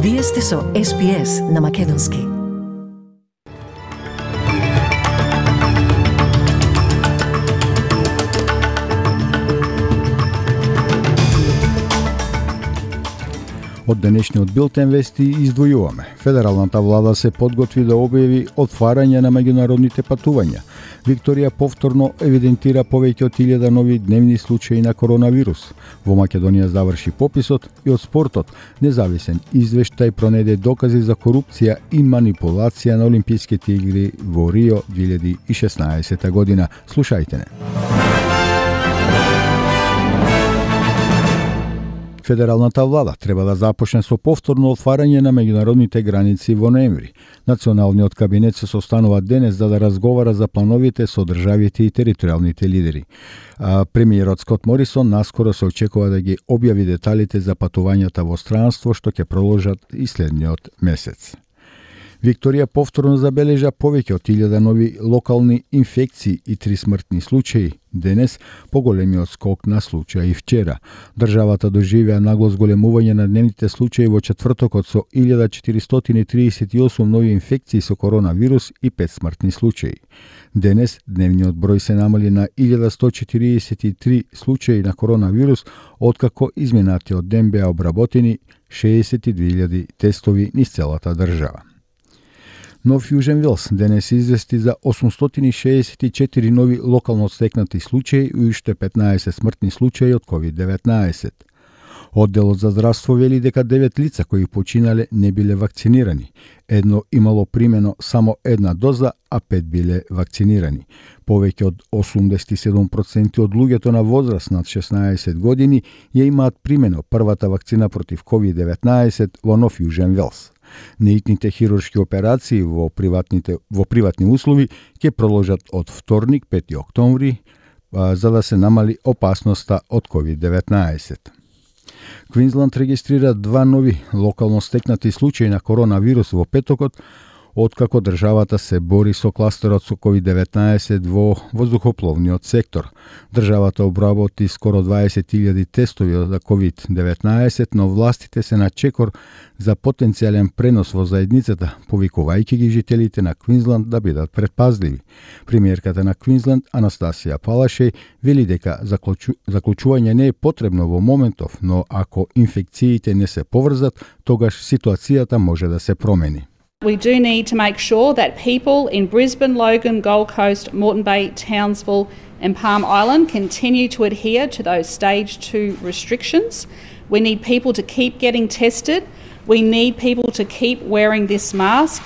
Вие сте со SPS на Македонски. Од денешниот билтен вести издвојуваме. Федералната влада се подготви да објави отварање на меѓународните патувања. Викторија повторно евидентира повеќе од 1000 нови дневни случаи на коронавирус. Во Македонија заврши пописот и од спортот независен извештај пронеде докази за корупција и манипулација на Олимписките игри во Рио 2016 година. Слушајте не. Федералната влада треба да започне со повторно отварање на меѓународните граници во ноември. Националниот кабинет се состанува денес за да разговара за плановите со државите и територијалните лидери. Премиерот Скот Морисон наскоро се очекува да ги објави деталите за патувањата во странство што ќе продолжат и следниот месец. Викторија повторно забележа повеќе од 1000 нови локални инфекции и 3 смртни случаи денес, поголемиот скок на случаи вчера. Државата доживеа нагло зголемување на дневните случаи во четвртокот со 1438 нови инфекции со коронавирус и 5 смртни случаи. Денес дневниот број се намали на 1143 случаи на коронавирус, откако изминатиот ден беа обработени 62.000 тестови низ целата држава. Нов Јужен Велс денес извести за 864 нови локално стекнати случаи и уште 15 смртни случаи од COVID-19. Одделот за здравство вели дека 9 лица кои починале не биле вакцинирани. Едно имало примено само една доза, а 5 биле вакцинирани. Повеќе од 87% од луѓето на возраст над 16 години ја имаат примено првата вакцина против COVID-19 во Нов Јужен Велс. Неитните хируршки операции во приватни услови ќе продолжат од вторник 5 октомври за да се намали опасноста од COVID-19. Квинсланд регистрира 2 нови локално стекнати случаи на коронавирус во петокот, откако државата се бори со кластерот со COVID-19 во воздухопловниот сектор. Државата обработи скоро 20.000 тестови за COVID-19, но властите се на чекор за потенцијален пренос во заедницата, повикувајќи ги жителите на Квинсланд да бидат предпазливи. Премиерката на Квинсланд, Анастасија Палашеј, вели дека заклучување не е потребно во моментов, но ако инфекциите не се поврзат, тогаш ситуацијата може да се промени. We do need to make sure that people in Brisbane, Logan, Gold Coast, Moreton Bay, Townsville and Palm Island continue to adhere to those stage 2 restrictions. We need people to keep getting tested. We need people to keep wearing this mask.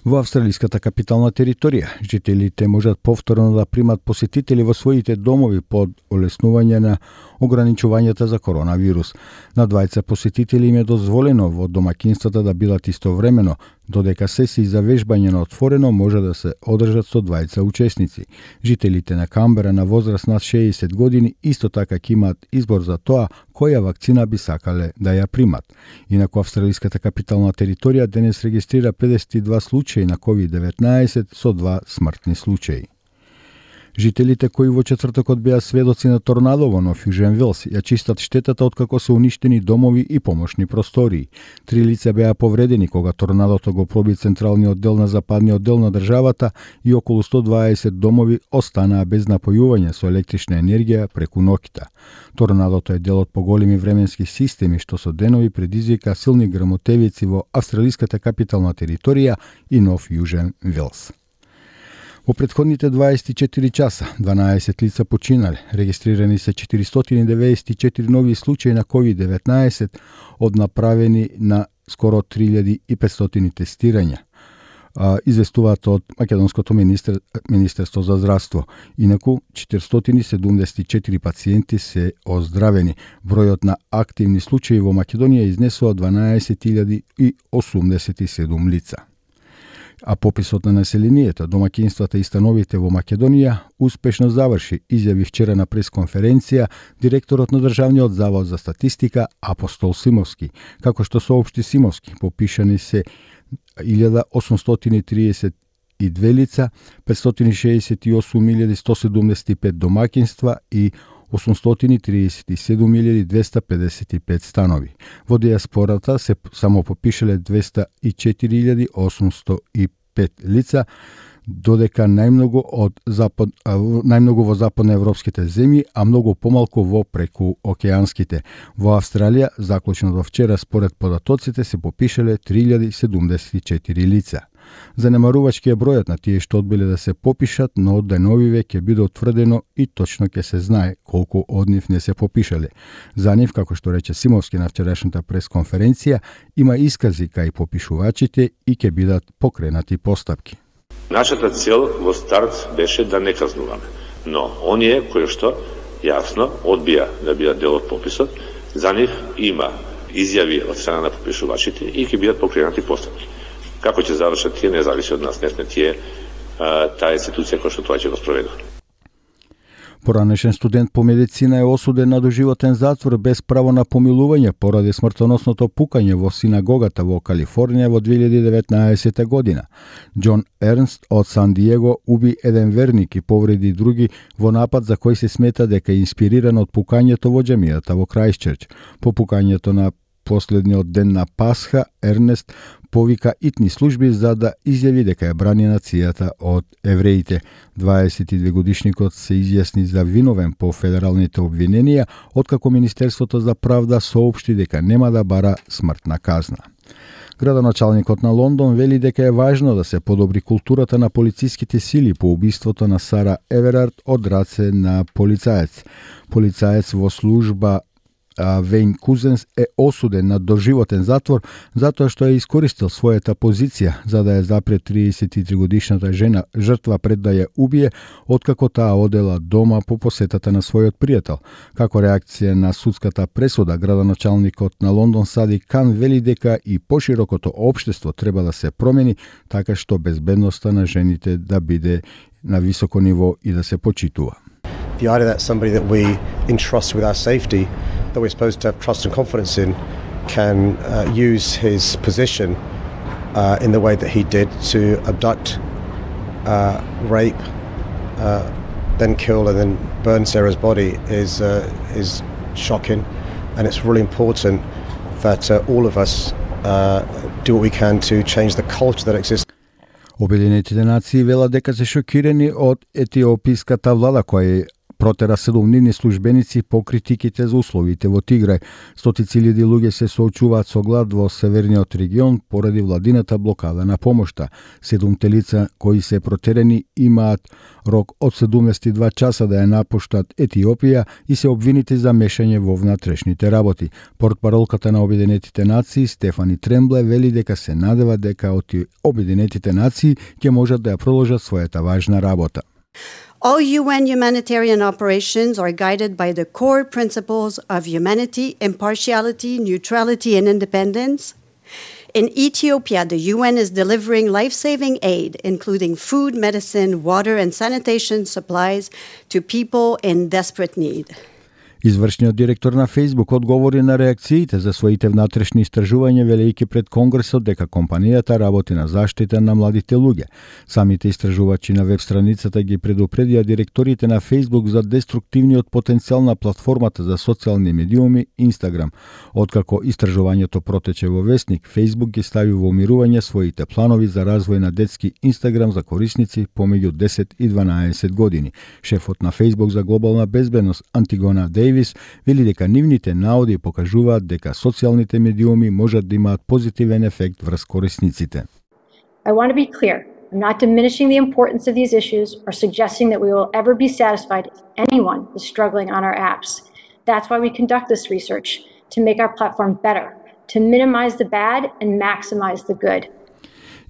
Во австралиската капитална територија, жителите можат повторно да примат посетители во своите домови под олеснување на ограничувањата за коронавирус. На двајца посетители им е дозволено во домакинствата да бидат истовремено, додека сесии за вежбање на отворено може да се одржат со двајца учесници. Жителите на Камбера на возраст над 60 години исто така ќе имаат избор за тоа која вакцина би сакале да ја примат. Инаку австралиската капитална територија денес регистрира 52 случаи на COVID-19 со 2 смртни случаи. Жителите кои во четвртокот беа сведоци на торнадо во Нов Јужен Велс ја чистат штетата откако се уништени домови и помошни простории. 3 лица беа повредени кога торнадото го проби централниот дел на западниот дел на државата и околу 120 домови останаа без напојување со електрична енергија преку ноќта. Торнадото е дел од поголеми временски системи што со денови предизвика силни грмотевици во австралиската капитална територија и Нов Јужен Велс. Во претходните 24 часа 12 лица починале, регистрирани се 494 нови случаи на COVID-19 од направени на скоро 3500 тестирања. Известуваат од Македонското Министерство за здравство. Инаку 474 пациенти се оздравени. Бројот на активни случаи во Македонија изнесува 12.087 лица. А пописот на населението, домакинствата и становите во Македонија успешно заврши, изјави вчера на пресконференција директорот на Државниот завод за статистика Апостол Симовски. Како што соопшти Симовски, попишани се 1832 лица, 568.175 домакинства и 837.255 станови. Во диаспората се само попишале 204.805 лица, додека најмногу во западноевропските земји, а многу помалку во прекуокеанските. Во Австралија, заклучно до вчера, според податоците се попишале 3.074 лица. Занемарувачки е бројот на тие што одбиле да се попишат, но од деновиве ќе биде утврдено и точно ќе се знае колку од нив не се попишале. За нив, како што рече Симовски на вчерашната пресконференција, има искази кај попишувачите и ќе бидат покренати постапки. Нашата цел во старт беше да не казнуваме, но оние кои што јасно одбија да бидат дел од пописот, за нив има изјави од страна на попишувачите и ќе бидат покренати постапки. Како ќе завршат тие, не зависи од нас, не сме тие таа институција која што тоа ќе го спроведе. Поранешен студент по медицина е осуден на доживотен затвор без право на помилување поради смртоносното пукање во синагогата во Калифорнија во 2019 година. Џон Ернст од Сан Диего уби еден верник и повреди други во напад за кој се смета дека е инспириран од пукањето во џамијата во Крајстчерч. По пукањето на последниот ден на Пасха, Ернест повика итни служби за да изјави дека ја брани нацијата од евреите. 22-годишникот се изјасни за виновен по федералните обвиненија, откако Министерството за правда соопшти дека нема да бара смртна казна. Градоначалникот на Лондон вели дека е важно да се подобри културата на полициските сили по убиството на Сара Еверард од раце на полицаец. Полицаец во служба Вейн Кузенс е осуден на доживотен затвор затоа што е искористил својата позиција за да ја запре 33-годишната жена жртва пред да ја убие, откако таа одела дома по посетата на својот пријател. Како реакција на судската пресуда, градоначалникот на Лондон Сади Кан вели дека и поширокото општество треба да се промени така што безбедноста на жените да биде на високо ниво и да се почитува. The idea that somebody that we entrust with our safety, that we're supposed to have trust and confidence in, can use his position in the way that he did to abduct, rape, then kill and then burn Sarah's body is shocking, and it's really important that all of us do what we can to change the culture that exists. Обединетите нации велат дека се шокирани од етиописката влада која протера 7 дневни службеници по критиките за условите во Тиграј. Стотици илјади луѓе се соочуваат со глад во северниот регион поради владината блокада на помошта. 7 лица кои се протерени имаат рок од 72 часа да ја напуштат Етиопија и се обвинети за мешање во внатрешните работи. Портпаролката на Обединетите нации Стефани Трембле вели дека се надева дека Обединетите нации ќе можат да ја продолжат својата важна работа. All UN humanitarian operations are guided by the core principles of humanity, impartiality, neutrality, and independence. In Ethiopia, the UN is delivering life-saving aid, including food, medicine, water, and sanitation supplies to people in desperate need. Извршниот директор на Facebook одговори на реакциите за своите внатрешни истражувања, велејќи пред Конгресот дека компанијата работи на заштита на младите луѓе. Самите истражувачи на веб страницата ги предупредија директорите на Facebook за деструктивниот потенцијал на платформата за социјални медиуми Instagram. Откако истражувањето протече во весник, Facebook ги стави во умирување своите планови за развој на детски Instagram за корисници помеѓу 10 и 12 години. Шефот на Facebook за глобална безбедност Антигона Дейвис вели дека нивните наоди покажуваат дека социјалните медиуми можат да имаат позитивен ефект врз корисниците. I want to be clear. I'm not diminishing the importance of these issues or suggesting that we will ever be satisfied if anyone is struggling on our apps. That's why we conduct this research, to make our platform better, to minimize the bad and maximize the good.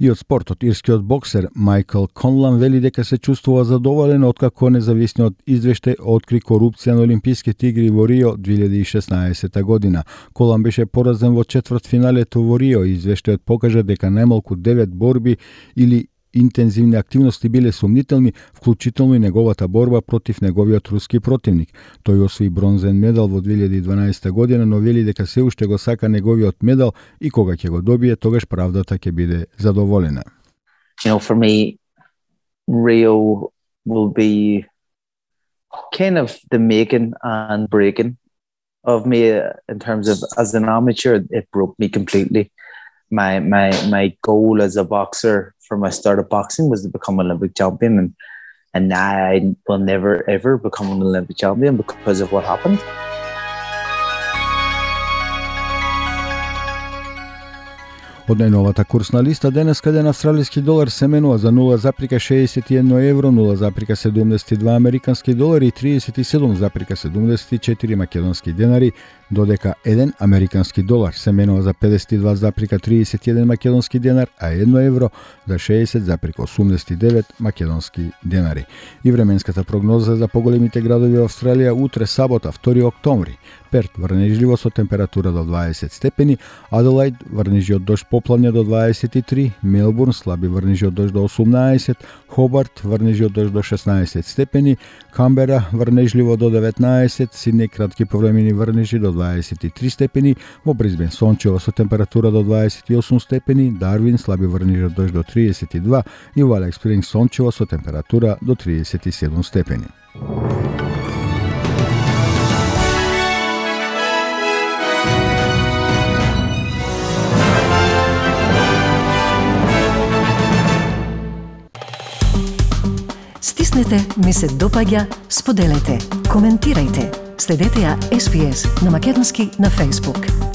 И од спортот, ирскиот боксер Майкл Конлан вели дека се чувствува задоволен откако независниот извештај откри корупција на Олимписките игри во Рио 2016 година. Конлан беше поразен во четвртфиналето во Рио и извештајот покажа дека најмалку 9 борби или интензивни активности биле сумнителни, вклучително и неговата борба против неговиот руски противник. Тој освои бронзен медал во 2012 година, но вели дека се уште го сака неговиот медал и кога ќе го добие, тогаш правдата ќе биде задоволена. For me, Rio will be kind of the making and breaking of me in terms of as an amateur. It broke me completely. My goal as a boxer from I started boxing was to become an Olympic champion, and now I will never ever become an Olympic champion because of what happened. Од најновата курсна листа денеска еден австралиски долар се менува за 0,61 евро, 0,72 американски долари и 37,74 македонски денари, додека еден американски долар се менува за 52,31 македонски денар, а 1 евро за 60,89 македонски денари. И временската прогноза за поголемите градови во Австралија утре сабота, 2 октомври. Перт врнежливо со температура до 20 степени, Аделаид врнежи од дожд поплавне до 23, Мелбурн слаби врнежи од дожд до 18, Хобарт врнежи од дожд до 16 степени, Камбера врнежливо до 19, Сиднеј кратки повремени врнежи до 23 степени, во Брисбен сончево со температура до 28 степени, Дарвин слаби врнежи од дожд до 32 и во Алекс Спрингс сончево со температура до 37 степени. Стиснете, ми се допаѓа, споделете, коментирајте. Следете ја SPS на Македонски на Facebook.